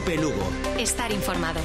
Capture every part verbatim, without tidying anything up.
Cope Lugo. Estar informado.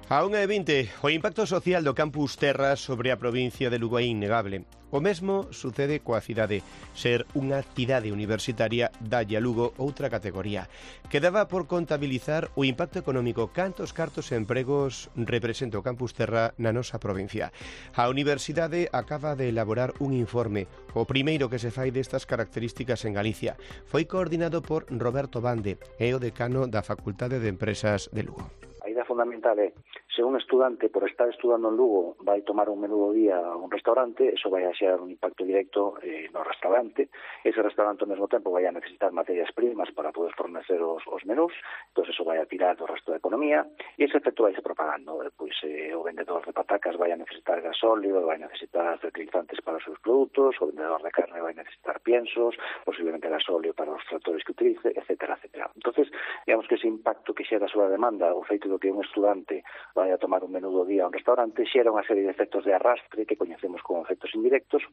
A unha e vinte, o impacto social do campus Terra sobre a provincia de Lugo é innegable. O mesmo sucede coa cidade. Ser unha cidade universitaria dalle a Lugo outra categoría. Quedaba por contabilizar o impacto económico, cantos cartos e empregos representa o campus Terra na nosa provincia. A universidade acaba de elaborar un informe, o primeiro que se fai destas características en Galicia. Foi coordinado por Roberto Bande, é o decano da Facultade de Empresas de Lugo. A idea fundamental é, se un estudante, por estar estudando en Lugo, vai tomar un menú do día a un restaurante, eso vai a xerar un impacto directo eh, no restaurante. Ese restaurante ao mesmo tempo vai a necesitar materias primas para poder fornecer os, os menús, entón eso vai a tirar do resto da economía, e ese efecto vai se propagando. Eh, pois eh, o vendedor de patacas vai a necesitar gasóleo, vai a necesitar fertilizantes para os seus produtos, o vendedor de carne vai a necesitar piensos, posiblemente gasóleo para os tractores que utilice, etcétera, etcétera. Entonces, digamos que ese impacto que xera a súa demanda, o feito que un estudante vai a tomar un menú do día a un restaurante, xera unha serie de efectos de arrastre que coñecemos como efectos indirectos.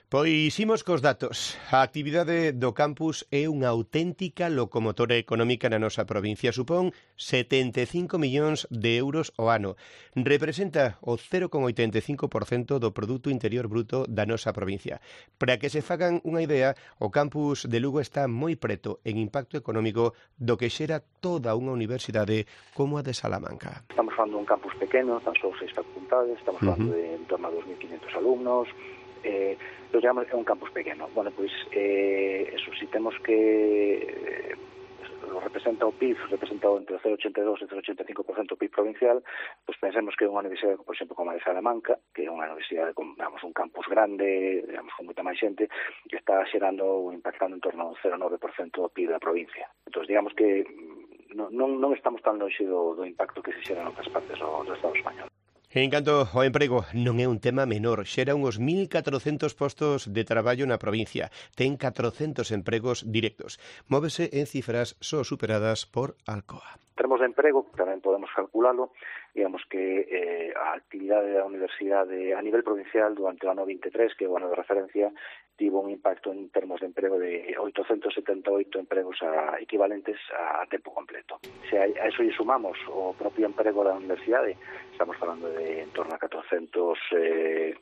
Pois imos cos datos. A actividade do campus é unha auténtica locomotora económica na nosa provincia. Supón setenta e cinco millóns de euros ao ano. Representa o cero coma oitenta e cinco por cento do Produto Interior Bruto da nosa provincia. Para que se fagan unha idea, o campus de Lugo está moi preto en impacto económico do que xera toda unha universidade como a de Salamanca. Estamos falando dun campus pequeno, tan só seis facultades, estamos falando uh -huh. de en torno a dos mil quinhentos alumnos. Eh, lo llamamos é un campus pequeno. Bueno, pois eh, eso, si temos que eh, lo representa o P I B, representado entre o cero coma ochenta e dous e o cero coma ochenta e cinco por cento do P I B provincial, pois pensemos que é unha universidade, por exemplo, como a de Salamanca, que é unha universidade con, digamos, un campus grande, digamos, con moita máis xente, que está xerando ou impactando en torno a un cero coma nove por cento do P I B da provincia. Entón, digamos que non, non, non estamos tan longe do, do impacto que se xera en outras partes do, do Estado español. En canto ao emprego, non é un tema menor. Xera uns mil catrocentos postos de traballo na provincia. Ten catrocentos empregos directos. Móvese en cifras só superadas por Alcoa. En termos de emprego, tamén podemos calculalo, digamos que eh, a actividade da universidade a nivel provincial durante o ano veintitrés, que é o ano de referencia, tivo un impacto en termos de emprego de oitocentos setenta e oito empregos a, equivalentes a, a tempo completo. Se a, a eso lle sumamos o propio emprego da universidade, estamos falando de en torno a catrocentos, eh,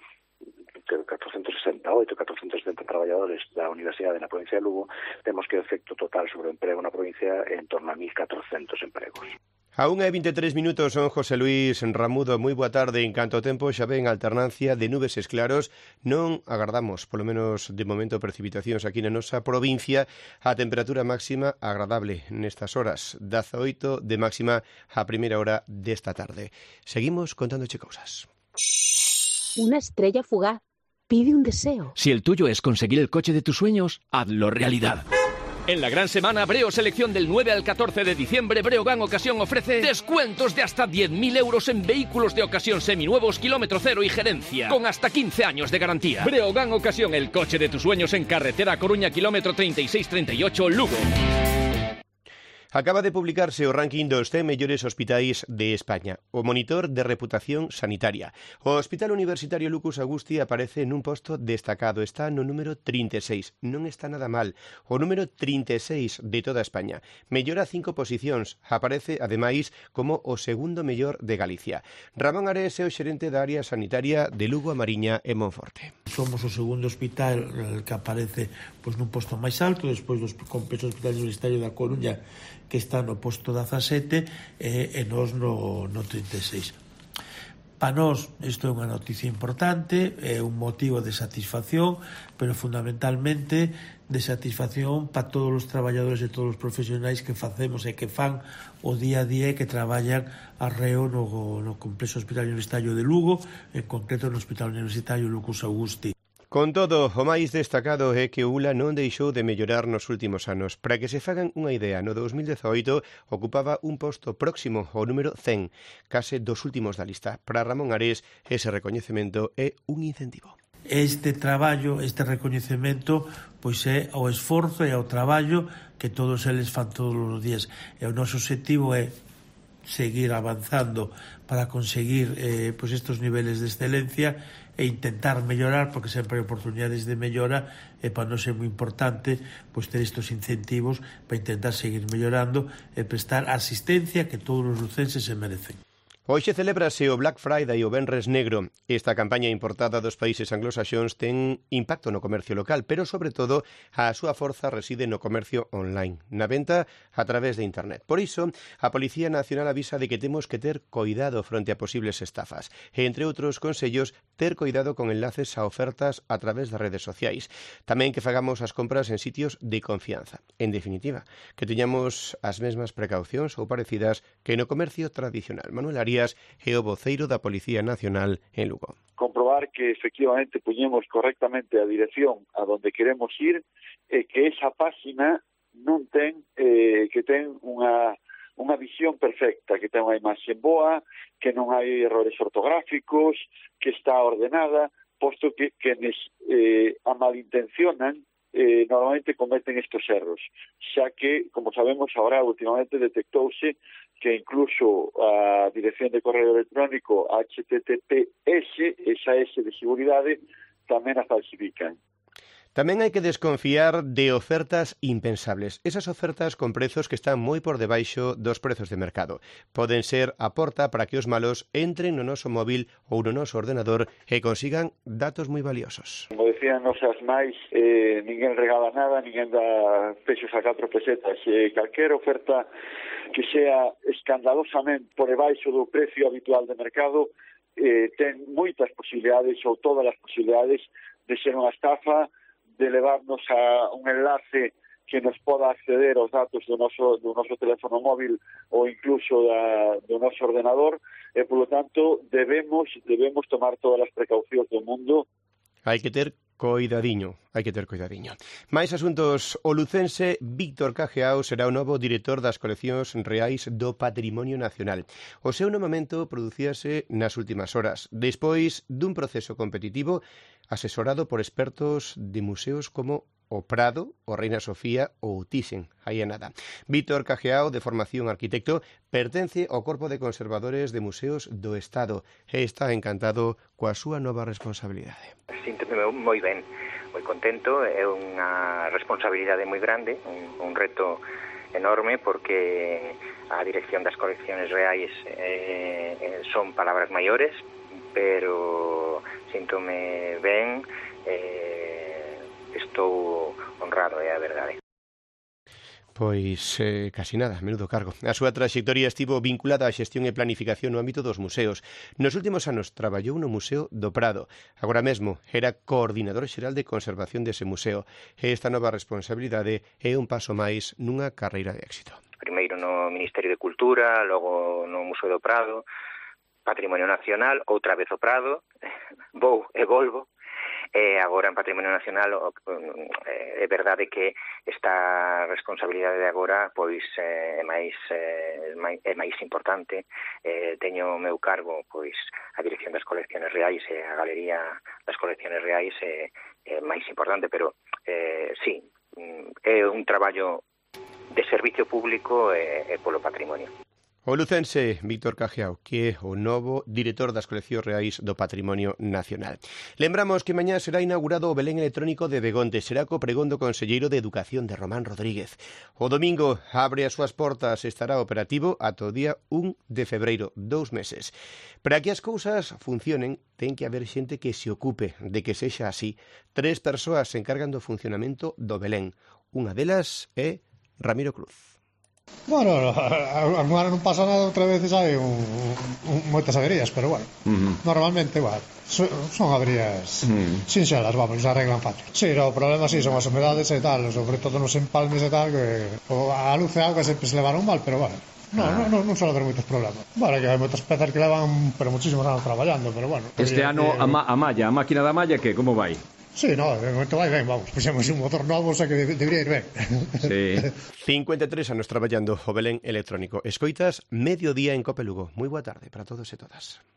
catrocentos sesenta e oito, catrocentos setenta traballadores da Universidade na provincia de Lugo, temos que o efecto total sobre o emprego na provincia é en torno a mil catrocentos empregos. A unha e vinte e tres minutos son José Luís Ramudo. Moi boa tarde. En canto ao tempo xa ven alternancia de nubes e claros. Non agardamos, polo menos de momento, precipitacións aquí na nosa provincia. A temperatura máxima agradable nestas horas. dezaoito de máxima a primeira hora desta tarde. Seguimos contándoche cousas. Una estrella fugaz pide un deseo. Si el tuyo es conseguir el coche de tus sueños, hazlo realidad. En la gran semana Breo Selección del nueve al catorce de diciembre, Breogán Ocasión ofrece descuentos de hasta diez mil euros en vehículos de ocasión seminuevos, kilómetro cero y gerencia, con hasta quince años de garantía. Breogán Ocasión, el coche de tus sueños en carretera Coruña, kilómetro treinta y seis treinta y ocho, Lugo. Acaba de publicarse o ranking dos cen mellores hospitais de España, o monitor de reputación sanitaria. O Hospital Universitario Lucas Agusti aparece nun posto destacado, está no número trinta e seis, non está nada mal, o número trinta e seis de toda España. Mellora cinco posicións, aparece ademais como o segundo mellor de Galicia. Ramón Ares é o xerente da área sanitaria de Lugo, a Mariña e Monforte. Somos o segundo hospital que aparece pois, nun posto máis alto, despois do complexo hospital universitario da Coruña, que está no posto dezasete e, e nós no, no trinta e seis. Para nós isto é unha noticia importante, é un motivo de satisfacción, pero fundamentalmente de satisfacción para todos os traballadores e todos os profesionais que facemos e que fan o día a día e que traballan arreo no, no complexo hospital universitario de Lugo, en concreto no Hospital Universitario Lucas Agusti. Con todo, o máis destacado é que o U L A non deixou de mellorar nos últimos anos. Para que se fagan unha idea, no dos mil dezaoito ocupaba un posto próximo ao número cen, case dos últimos da lista. Para Ramón Ares, ese recoñecemento é un incentivo. Este traballo, este recoñecemento, pois é o esforzo e o traballo que todos eles fan todos os días. E o noso objetivo é seguir avanzando para conseguir eh, pois estes niveles de excelencia e intentar mellorar, porque sempre hai oportunidades de mellora, e para nós é moi importante pois ter estes incentivos para intentar seguir mellorando e prestar a asistencia que todos os lucenses se merecen. Hoxe celébrase o Black Friday, o Venres Negro. Esta campaña importada dos países anglosaxóns ten impacto no comercio local, pero, sobre todo, a súa forza reside no comercio online, na venta a través de internet. Por iso, a Policía Nacional avisa de que temos que ter coidado fronte a posibles estafas. E, entre outros consellos, ter coidado con enlaces a ofertas a través das redes sociais. Tamén que fagamos as compras en sitios de confianza. En definitiva, que teñamos as mesmas precaucións ou parecidas que no comercio tradicional. Manuel Arias e o voceiro da Policía Nacional en Lugo. Comprobar que efectivamente puñemos correctamente a dirección a donde queremos ir e que esa páxina non ten eh, que ten unha unha visión perfecta, que ten unha imaxe boa, que non hai errores ortográficos, que está ordenada, posto que quenes eh, a malintencionan eh, normalmente cometen estes erros, xa que, como sabemos, ahora últimamente detectouse que incluso a dirección de correo electrónico H T T P S, esa S de seguridade, tamén a falsifican. Tamén hai que desconfiar de ofertas impensables. Esas ofertas con prezos que están moi por debaixo dos prezos de mercado. Poden ser a porta para que os malos entren no noso móvil ou no noso ordenador e consigan datos moi valiosos. Como decían nosas máis, eh, ninguén regala nada, ninguén dá peixos a catro pesetas. Eh, calquer oferta que sea escandalosamente por debaixo do precio habitual de mercado eh, ten moitas posibilidades ou todas as posibilidades de ser unha estafa, de levarnos a un enlace que nos poda acceder aos datos do noso, do noso teléfono móvil ou incluso da, do noso ordenador, e, polo tanto, debemos, debemos tomar todas as precaucións do mundo. Hai que ter coidadiño, hai que ter coidadiño. Mais asuntos, o lucense Víctor Cajeao será o novo director das coleccións reais do Patrimonio Nacional. O seu nomamento producíase nas últimas horas, despois dun proceso competitivo asesorado por expertos de museos como o Prado, o Reina Sofía ou o Thyssen, aí é nada. Víctor Cajeao, de formación arquitecto, pertence ao Corpo de Conservadores de Museos do Estado e está encantado coa súa nova responsabilidade. Síntome moi ben, moi contento, é unha responsabilidade moi grande, un, un reto enorme, porque a dirección das coleccións reais eh, son palabras maiores, pero síntome ben, eh, estou honrado, é a verdade. Pois eh, casi nada, menudo cargo. A súa traxectoria estivo vinculada á xestión e planificación no ámbito dos museos. Nos últimos anos traballou no Museo do Prado. Agora mesmo era coordinador xeral de conservación dese museo. E esta nova responsabilidade é un paso máis nunha carreira de éxito. Primeiro no Ministerio de Cultura, logo no Museo do Prado, Patrimonio Nacional, outra vez o Prado, vou e volvo. E agora en Patrimonio Nacional é verdade que esta responsabilidade de agora pois é máis é máis importante. Eh, teño o meu cargo pois a dirección das coleccións reais e a galería das coleccións reais é, é máis importante, pero eh, sí, é un traballo de servicio público e, e polo patrimonio. O lucense Víctor Cajeao, que é o novo director das coleccións reais do Patrimonio Nacional. Lembramos que mañá será inaugurado o Belén electrónico de Begonte. Será co pregón do conselleiro de Educación de Román Rodríguez. O domingo abre as súas portas e estará operativo ata o día un de febreiro, dous meses. Para que as cousas funcionen, ten que haber xente que se ocupe de que sexa así. Tres persoas se encargan do funcionamento do Belén. Unha delas é Ramiro Cruz. Bueno, algún ano non pasa nada, outra vez hai un, un, moitas averías, pero bueno, uh-huh. Normalmente, bueno, so, son averías uh-huh. sinxelas, vamos, se arreglan fácil. Si, sí, no, o problema si sí, son as humedades e tal, sobre todo nos empalmes e tal, que o, a luz e a auga sempre se levaron mal, pero bueno, no, ah. non, non, non suele haber moitos problemas. Vale, que hai moitas pezas que levan, pero muchísimos anos traballando, pero bueno. Este ano que... a, ma, a malla, a máquina da malla, que, como vai? Sí, no, de momento vai ben, vamos, puxemos un motor novo, o sea que debería ir ben. Sí. cincuenta e tres anos traballando o Belén electrónico. Escoitas Mediodía en Cope Lugo. Moi boa tarde para todos e todas.